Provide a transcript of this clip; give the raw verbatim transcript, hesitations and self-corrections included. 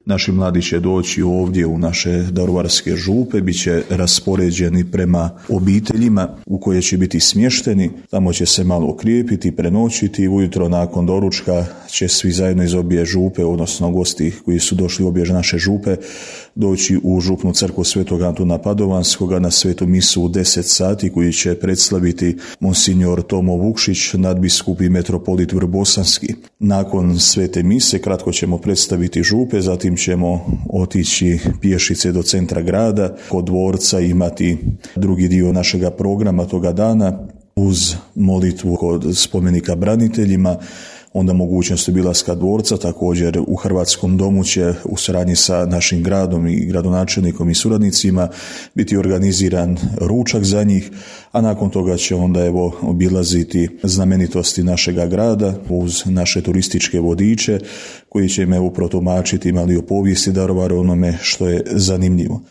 Naši mladi će doći ovdje u naše daruvarske župe, bit će raspoređeni prema obiteljima u koje će biti smješteni. Tamo će se malo okrijepiti, prenoćiti. Ujutro nakon doručka će svi zajedno iz obje župe, odnosno gosti koji su došli u obje naše župe, doći u župnu crkvu Svetog Antuna Padovanskoga na svetu misu u deset sati koji će predstaviti monsignor Tomo Vukšić, nadbiskup i metropolit Vrbosanski. Nakon svete mise kratko ćemo predstaviti župe, zatim ćemo otići pješice do centra grada, kod dvorca imati drugi dio našega programa toga dana uz molitvu kod spomenika braniteljima, onda mogućnost obilaska dvorca. Također u Hrvatskom domu će u suradnji sa našim gradom i gradonačelnikom i suradnicima biti organiziran ručak za njih, a nakon toga će onda evo obilaziti znamenitosti našega grada uz naše turističke vodiče koji će im evo protumačiti mali o povijesti Daruvara, onome što je zanimljivo.